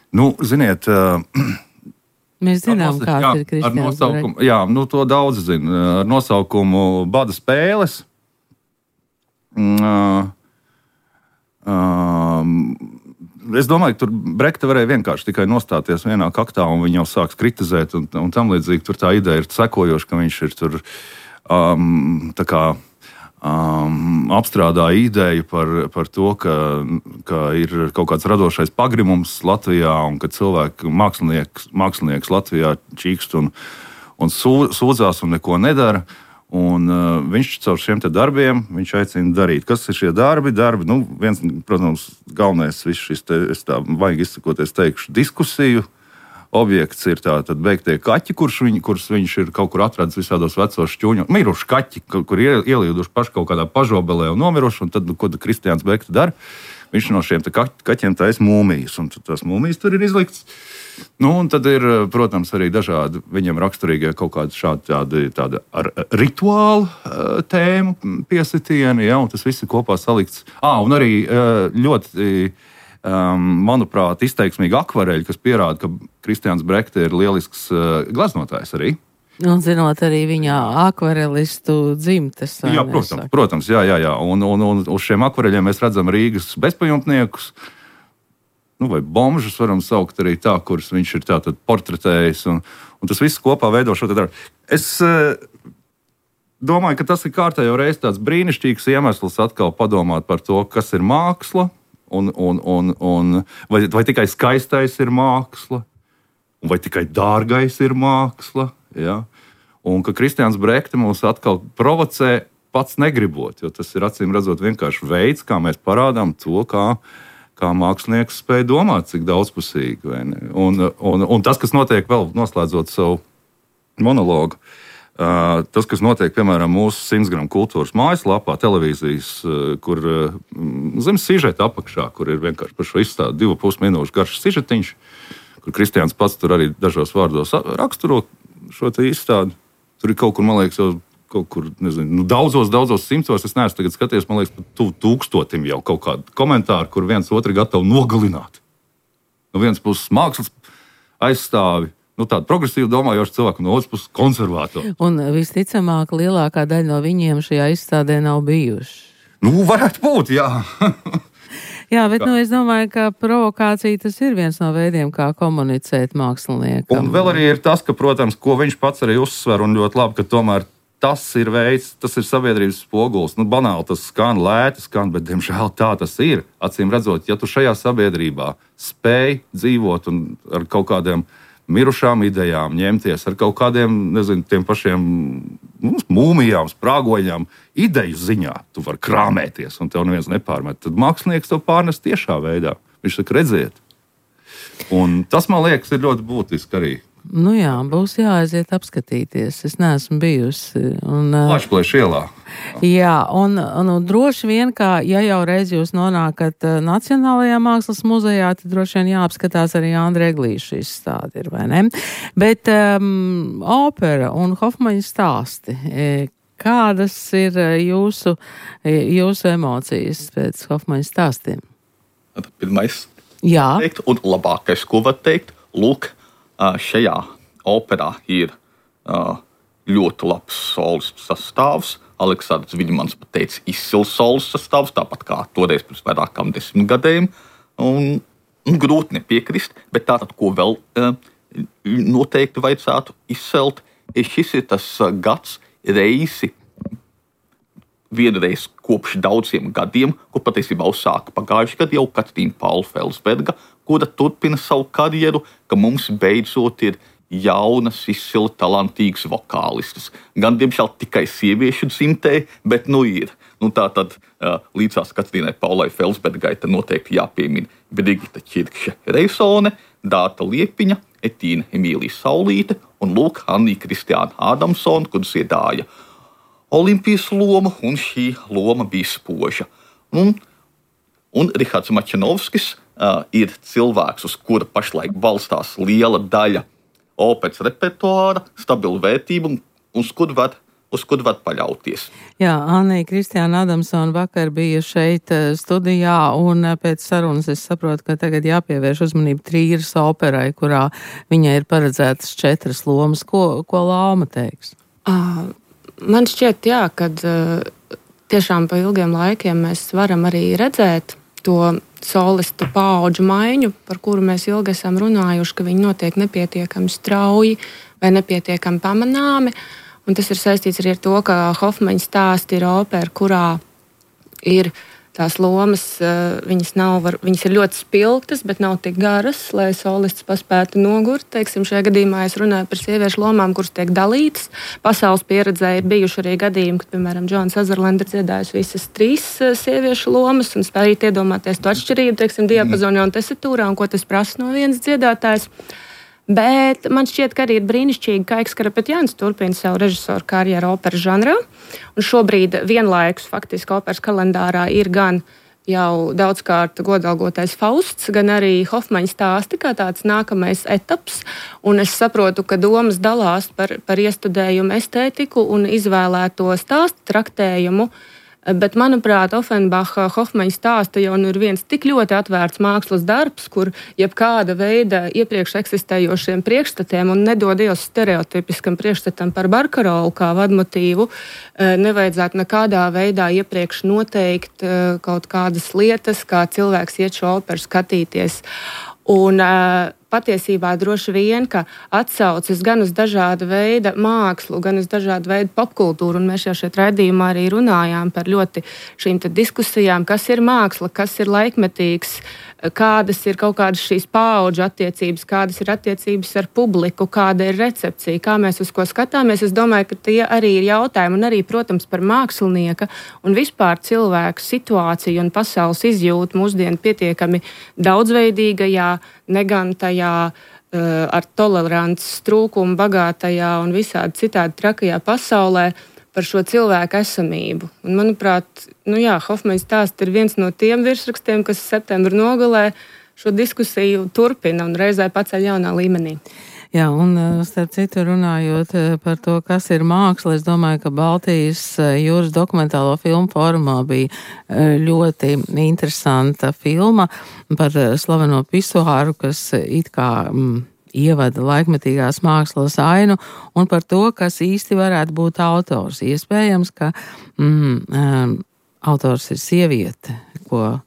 Nu, ziniet, uh, mēs zinām, kāda ir Kristiāns Brekts. Jā, nu, to daudz zina. Ar nosaukumu Bada spēles. Uh, uh, es domāju, ka tur Brekta varēja vienkārši tikai nostāties vienā kaktā, un viņi jau sāks kritizēt, un, un tam līdzīgi tur tā ideja ir sekojoša, ka viņš ir tur um, tā kā Um, apstrādāja ideju par, par to, ka, ka ir kaut kāds radošais pagrimums Latvijā un ka cilvēki, mākslinieks, mākslinieks Latvijā čīkst un, un sūdzās un neko nedara. Un, uh, viņš caur šiem te darbiem viņš aicina darīt. Kas ir šie darbi? darbi nu, viens, protams, galvenais viss šis, te, es tā vajag izsakoties, teikšu, diskusiju objekts ir tātad beigtie kaķi, kurš viņ, kurus viņš ir kaut kur atradis visādos vecos šķūņos. Miruši kaķi, kur ir ielīduši paši kaut kādā pažobelē un nomiruši, un tad, ko tad Kristiāns Brekta dara? Viņš no šiem te kaķiem taisa mūmijas, un tās mūmijas tur ir izlikts. Nu, un tad ir, protams, arī dažādi viņam raksturīgie kaut kādi šādi tādi, tādi ar rituālu uh, tēmu piesitieni, ja, un tas viss ir kopā salikts. Ā, un arī uh, ļoti... Um, manuprāt, izteiksmīgi akvareļi, kas pierāda, ka Kristiāns Brekta ir lielisks uh, glaznotājs arī. Un zinot arī viņa akvarelistu dzimtes. Jā, protams, protams, jā, jā, jā. Un, un, un uz šiem akvareļiem mēs redzam Rīgas bezpajumtniekus, nu, vai bomžus varam saukt arī tā, kurus viņš ir tātad portretējis, un, un tas viss kopā veido šo te darbu. Es uh, domāju, ka tas ir kārtējo reiz tāds brīnišķīgs iemesls atkal padomāt par to, kas ir māksla. Un, un, un, un, vai, vai tikai skaistais ir māksla, vai tikai dārgais ir māksla. Ja? Un ka Kristiāns Brekta mūs atkal provocē pats negribot, jo tas ir acīm redzot vienkārši veids, kā mēs parādām to, kā, kā mākslinieks spēj domāt, cik daudzpusīgi. Un, un, un tas, kas notiek vēl noslēdzot savu monologu, Uh, tas, kas notiek, piemēram, mūsu simts gramu kultūras mājaslapā, televīzijas, uh, kur uh, zem sižeta apakšā, kur ir vienkārši par šo izstādi divu pus minūšu garš sižetiņš, kur Kristiāns pats tur arī dažos vārdos raksturo šo te izstādi. Tur ir kaut kur, man liekas, jau kaut kur, nezinu, nu, daudzos, daudzos simtos, es neesmu tagad skaties, man liekas, pat tuvu tūkstotim jau kaut kādu komentāru, kur viens otru gatavu nogalināt. No vienas puses mākslas aizstāvi, nu, tāda progresīva domājoša cilvēka, no otras puses konservatora. Un visticamāk, lielākā daļa no viņiem šajā izstādē nav bijuši. Nu, varētu būt, jā. Jā, bet nu, es domāju, ka provokācija tas ir viens no veidiem, kā komunicēt māksliniekam. Un vēl arī ir tas, ka, protams, ko viņš pats arī uzsver, un ļoti labi, ka tomēr tas ir veids, tas ir sabiedrības spogulis. Nu, banāli tas skan, lēti skan, bet, diemžēl, tā tas ir. Acīm redzot, ja tu šajā sabiedrībā spēj dzīvot un ar kaut kādiem mirušām idejām ņemties, ar kaut kādiem, nezinu, tiem pašiem nu, mūmijām, sprāgoņām, ideju ziņā, tu vari krāmēties un tev neviens nepārmet. Tad mākslinieks to pārnes tiešā veidā. Viņš saka, redziet. Un tas, man liekas, ir ļoti būtiski arī. Nu jā, būs jāaiziet apskatīties. Es neesmu bijusi. Plašplēš ielā. Jā, un, un droši vien, kā ja jau reiz jūs nonākat Nacionālajā mākslas muzejā, tad droši vien jāapskatās arī Andra Eglīša izstāde ir, vai ne? Bet um, opera un Hofmaņa stāsti, kādas ir jūsu, jūsu emocijas pēc Hofmaņa stāstiem? Pirmais Jā. Teikt, un labākais, ko var teikt, lūk, šajā operā ir ļoti labs solis sastāvs. Aleksandrs Viļmans pat teica, izcils solis sastāvs, tāpat kā toreiz pirms vairākām desmit gadiem. Un, un grūti nepiekrist, bet tātad, ko vēl noteikti vajadzētu izcelt, šis ir tas gads reisi, vienreiz kopš daudziem gadiem, ko patiesībā uzsāka pagājuši gadu jau Katrīna Paula Felsberga, kura turpina savu karjeru, ka mums beidzot ir jaunas, izcili talantīgas vokālistas. Gan, diemžēl, tikai sieviešu dzimtē, bet nu ir. Nu, tā tad līdzās Katrīnai Paulai Felsbergai te noteikti jāpiemina Brigita Čirkše-Reisone, Dāta Liepiņa, Etīna Emīlija Saulīte un lūk Annija Kristiāna Ādamsona, kur dziedāja Olimpijas loma, un šī loma bija spoža. Un, un Rihards Mačanovskis uh, ir cilvēks, uz kura pašlaik balstās liela daļa operas repertuāra, stabila vērtība, un uz kur var, uz kur var paļauties. Jā, Annija Kristiāna Ādamsona vakar bija šeit studijā, un pēc sarunas es saprotu, ka tagad jāpievērš uzmanība Trīras operai, kurā viņai ir paredzētas četras lomas. Ko, ko Lauma teiks? Uh. Man šķiet, jā, ka tiešām pa ilgiem laikiem mēs varam arī redzēt to solistu paudžu maiņu, par kuru mēs ilgi esam runājuši, ka viņi notiek nepietiekami strauji vai nepietiekami pamanāmi. Un tas ir saistīts arī ar to, ka Hofmaņa stāsti ir opera, kurā ir tās lomas, viņas, nav, viņas ir ļoti spilgtas, bet nav tik garas, lai solists paspētu nogurt. Teiksim, šajā gadījumā es runāju par sieviešu lomām, kuras tiek dalītas. Pasaules pieredzē ir bijuši arī gadījumi, kad, piemēram, Džona Sazerlanda ir dziedājusi visas trīs sieviešu lomas un spējīt iedomāties to atšķirību, teiksim, diapazonā un tesitūrā un ko tas prasa no vienas dziedātājas. Bet man šķiet, ka arī ir brīnišķīgi, ka Aiks Karapetjāns turpina savu režisoru karjeru operas žanrā. Un šobrīd vienlaikus faktiski operas kalendārā ir gan jau daudzkārt godalgotais Fausts, gan arī Hofmaņa stāsti kā tāds nākamais etaps. Un es saprotu, ka domas dalās par, par iestudējumu estētiku un izvēlēto stāstu traktējumu. Bet, manuprāt, Offenbacha Hofmaņa stāsta jau nu ir viens tik ļoti atvērts mākslas darbs, kur jebkāda veida iepriekš eksistējošiem priekšstatiem un nedod Dievs stereotipiskam priekšstatam par Barkarolu kā vadmotīvu, nevajadzētu nekādā veidā iepriekš noteikt kaut kādas lietas, kā cilvēks iet šo operu skatīties. Un patiesībā droši vien, ka atsaucas gan uz dažāda veida mākslu, gan uz dažāda veida popkultūru, un mēs jau šeit raidījumā arī runājām par ļoti šīm te diskusijām, kas ir māksla, kas ir laikmetīgs, kādas ir kaut kādas šīs paudžu attiecības, kādas ir attiecības ar publiku, kāda ir recepcija, kā mēs uz ko skatāmies. Es domāju, ka tie arī ir jautājumi, un arī, protams, par mākslinieka un vispār cilvēku situāciju un pasaules izjūtu mūsdienu pietiekami daudzveidīgajā, negan tajā ar tolerants trūkumu bagātajā un visādi citādi trakajā pasaulē par šo cilvēku esamību. Un, manuprāt, nu jā, Hofmaņa stāsts ir viens no tiem virsrakstiem, kas septembra nogalē šo diskusiju turpina un reizē paceļ jaunā līmenī. Jā, un starp citu runājot par to, kas ir māksla, es domāju, ka Baltijas jūras dokumentālo filmu fórumā bija ļoti interesanta filma par slaveno pisuāru, kas it kā mm, ievada laikmetīgās mākslas ainu un par to, kas īsti varētu būt autors. Iespējams, ka mm, um, autors ir sieviete, ko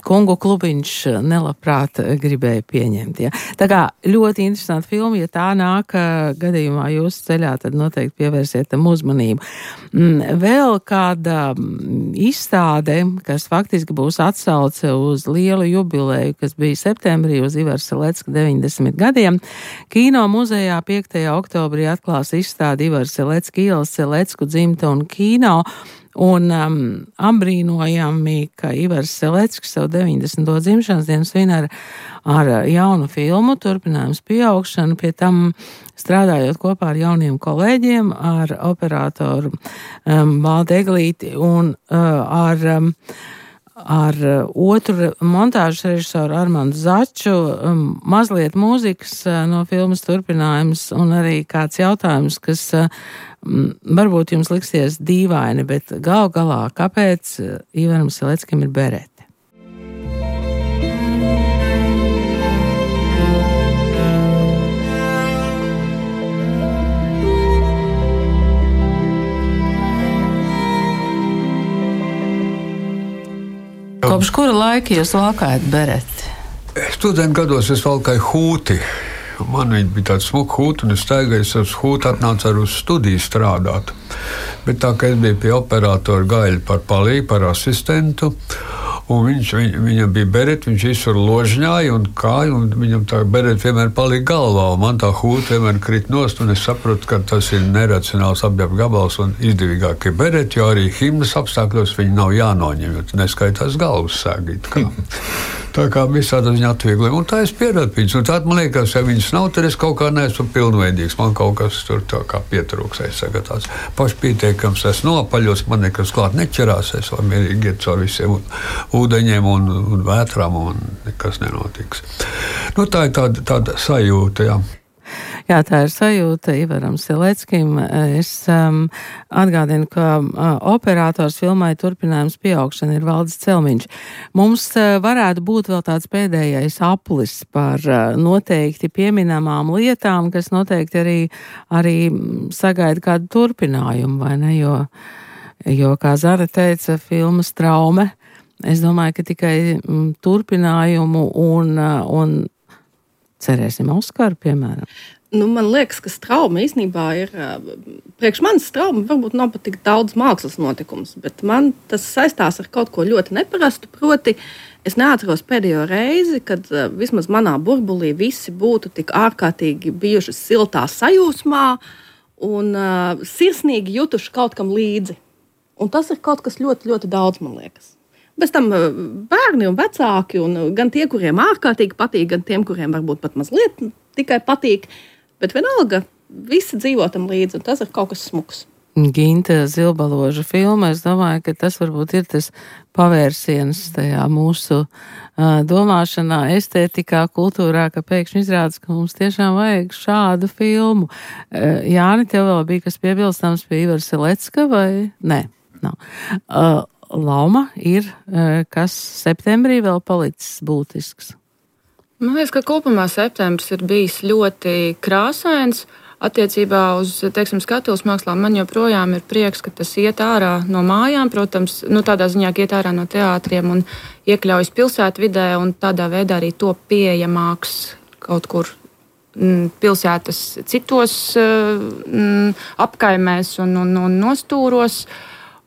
Kungu klubiņš nelabprāt gribēja pieņemt. Ja. Tā kā ļoti interesanti filma, ja tā nāk gadījumā jūsu ceļā, tad noteikti pievērsiet tam uzmanību. Vēl kāda izstāde, kas faktiski būs atsauce uz lielu jubileju, kas bija septembrī uz Ivara Selecka deviņdesmit gadiem. Kino muzejā piektajā oktobrī atklās izstādi Ivara Selecka ielas Selecku dzimta un kino. Un um, apbrīnojami, ka Ivars Selecks savu deviņdesmito dzimšanas dienu svin ar, ar jaunu filmu, turpinājums pieaugšanu, pie tam strādājot kopā ar jauniem kolēģiem, ar operatoru um, Valdu Eglīti un uh, ar, um, ar otru montāžas režisoru Armandu Začu, um, mazliet mūzikas uh, no filmas turpinājums un arī kāds jautājums, kas uh, varbūt jums liksies dīvaini, bet gal galā, kāpēc Ivaram Seleckam ir berete? Kopš kura laika jūs valkājat bereti? Studentu gados es valkāju hūti. Man viņa bija tāda smuka hūta, un es staigāju ar hūtu, atnācu arī uz studiju strādāt. Bet tā kā es biju pie operatora Gaļa par palīgu, par asistentu, un viņš, viņ, viņam bija bereti, viņš visur ložņāja un kāja, un viņam tā bereti vienmēr palika galvā, un man tā hūta vienmēr krit nost, un es saprotu, ka tas ir neracionāls apģērba gabals un izdevīgāk ir bereti, jo arī himnas apstākļos viņi nav jānoņem, jo neskaitās galvas sēgīt. Kā. Tā kā visādā ziņā atviegli. Un tā es pieradu viņus. Un tā man liekas, ja viņas nav, tad es kaut kā neesmu pilnveidīgs. Man kaut kas tur tā kā pietrūks. Es saku tāds pašpieteikams, es nopaļos, man nekas klāt neķerās. Es varu mierīgi iet caur visiem ūdeņiem un, un vētrām, un nekas nenotiks. Nu, tā ir tāda, tāda sajūta, jā. Jā, tā ir sajūta Ivaram Seleckim. Es um, atgādinu, ka uh, operators filmai turpinājums pieaugšana ir Valdis Celmiņš. Mums uh, varētu būt vēl tāds pēdējais aplis par uh, noteikti pieminamām lietām, kas noteikti arī, arī sagaida kādu turpinājumu, vai ne? Jo, jo kā Zara teica, filmas traume. Es domāju, ka tikai mm, turpinājumu un, uh, un cerēsim Oskaru, piemēram. Nu, man liekas, ka trauma īstenībā ir, priekš manis trauma varbūt nav pat tik daudz mākslas notikums, bet man tas saistās ar kaut ko ļoti neparastu, proti es neatceros pēdējo reizi, kad vismaz manā burbulī visi būtu tik ārkārtīgi bijuši siltā sajūsmā un uh, sirsnīgi jutuši kaut kam līdzi. Un tas ir kaut kas ļoti, ļoti daudz, man liekas. Bez tam bērni un vecāki, un gan tie, kuriem ārkārtīgi patīk, gan tiem, kuriem varbūt pat mazliet tikai patīk, bet vienalga visi dzīvo tam līdzi, un tas ir kaut kas smuks. Ginta Zilbaloža filma, es domāju, ka tas varbūt ir tas pavērsiens tajā mūsu uh, domāšanā, estētikā, kultūrā, ka pēkšņi izrādās, ka mums tiešām vajag šādu filmu. Uh, Jāni, tev vēl bija kas piebilstams pie Ivara Selecka, vai? Nē, nav. Uh, Lauma ir, uh, kas septembrī vēl palicis būtisks. Man liekas, ka kopumā septembris ir bijis ļoti krāsains. Attiecībā uz, teiksim, skatuves mākslām man joprojām ir prieks, ka tas iet ārā no mājām, protams, nu, tādā ziņā, ka iet ārā no teātriem un iekļaujas pilsētvidē un tādā veidā arī top pieejamāks kaut kur m, pilsētas citos m, apkaimēs un, un, un nostūros.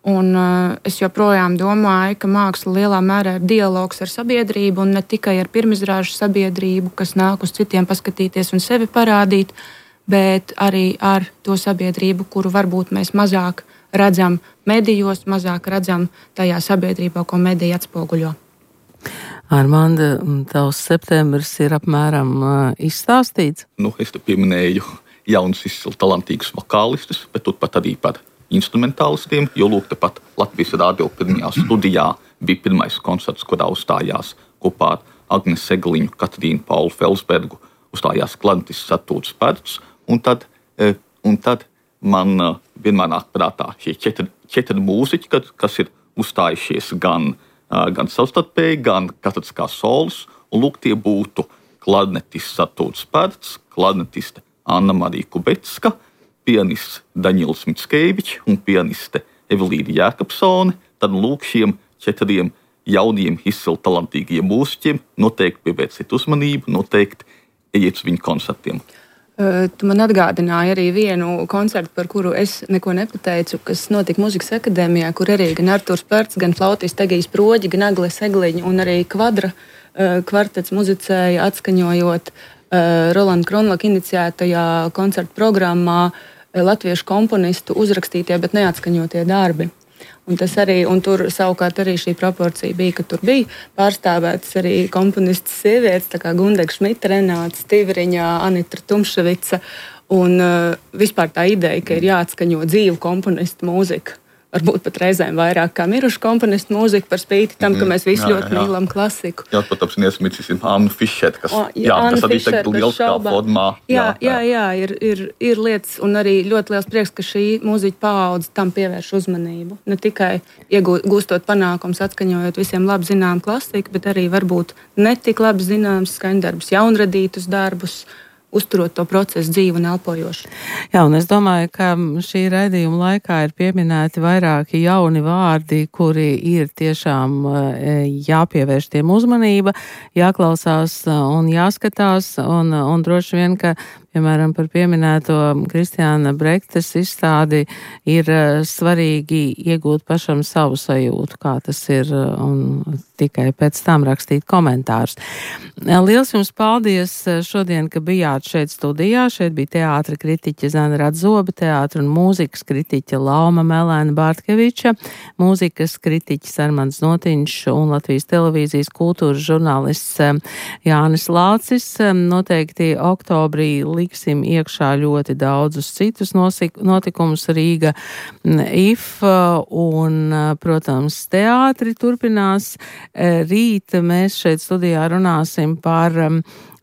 Un uh, es joprojām domāju, ka māksla lielā mērā ir dialogs ar sabiedrību un ne tikai ar pirmizrāžu sabiedrību, kas nāk uz citiem paskatīties un sevi parādīt, bet arī ar to sabiedrību, kuru varbūt mēs mazāk redzam medijos, mazāk redzam tajā sabiedrībā, ko mediji atspoguļo. Armanda, tavs septembris ir apmēram uh, izstāstīts? Nu, es te pieminēju jauns, izcili talantīgus vokālistus, bet turpat arī par instrumentālistiem, jo lūk, tepat Latvijas radio pirmajā studijā bija pirmais koncerts, kurā uzstājās kopā ar Agnes Segliņu, Katrīnu Paulu Felsbergu, uzstājās klarnetists Artūrs Pērts, un tad, un tad man vienmēr nāk prātā šie četri, četri mūziķi, kas ir uzstājušies gan gan savstarpēji, gan katrs kā solis, un lūk, tie būtu klarnetists Artūrs Pērts, klarnetiste Anna-Marija Kubecka, pianists Daņils Mickevičs un pianiste Evelīna Jēkabsone. Tad lūk, šiem četriem jauniem, izcili talantīgiem mūziķiem noteikti pievērsiet uzmanību, noteikti ejiet uz viņu koncertiem. Tu man atgādināji arī vienu koncertu, par kuru es neko nepateicu, kas notika Mūzikas akadēmijā, kur arī gan Artūrs Pērts, gan flautists Egijs Proģi, gan Agle Segliņa un arī kvadra kvartets muzicēja, atskaņojot Rolanda Kronlaka iniciētajā koncertu programmā latviešu komponistu uzrakstītie, bet neatskaņotie darbi. Un, arī, un tur savukārt arī šī proporcija bija, ka tur bija pārstāvētas arī komponistas sievietes, tā kā Gundega Šmita, Renāta Stivriņa, Anitra Tumševica. Un uh, vispār tā ideja, ka ir jāatskaņo dzīvu komponistu mūzika. Varbūt pat reizēm vairāk kā mirušu komponistu mūziku par spīti tam, ka mēs visi jā, ļoti jā. mīlam klasiku. Jā, protams, neesmīcīsim Annu Fišeru, kas, o, jā, jā, kas arī tagad lieliskā formā. Jā, jā, jā ir, ir, ir lietas un arī ļoti liels prieks, ka šī mūziķa paudze tam pievērš uzmanību. Ne tikai iegūstot panākums, atskaņojot visiem labi zinām klasiku, bet arī varbūt netik labi zināms skaņdarbus, jaunradītus darbus, uzturot to procesu dzīvu un elpojošu. Jā, un es domāju, ka šī raidījuma laikā ir pieminēti vairāki jauni vārdi, kuri ir tiešām jāpievērš tiem uzmanība, jāklausās un jāskatās, un, un droši vien, ka piemēram, par pieminēto Kristiāna Brektes izstādi ir svarīgi iegūt pašam savu sajūtu, kā tas ir, un tikai pēc tam rakstīt komentārus. Liels jums paldies šodien, ka bijāt šeit studijā. Šeit bija teātra kritiķe Zana Radzobe, teātra un mūzikas kritiķe Lauma Melēna Bārtkeviča, mūzikas kritiķis Armands Notiņš un Latvijas televīzijas kultūras žurnālists Jānis Lācis. Noteikti oktobrī liksim iekšā ļoti daudzus citus notikumus Rīga I F un, protams, teātri turpinās. Rīt mēs šeit studijā runāsim par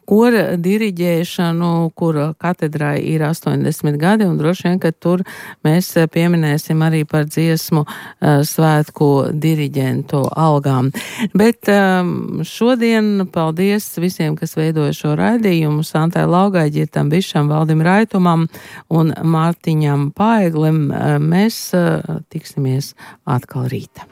kora diriģēšanu, kura katedrai ir astoņdesmit gadi, un droši vien, ka tur mēs pieminēsim arī par dziesmu uh, svētku diriģentu algām. Bet um, šodien paldies visiem, kas veidoja šo raidījumu, Santai Laugai, Ģirtam Bišam, Valdim Raitumam un Mārtiņam Paeglim. Mēs uh, tiksimies atkal rīta.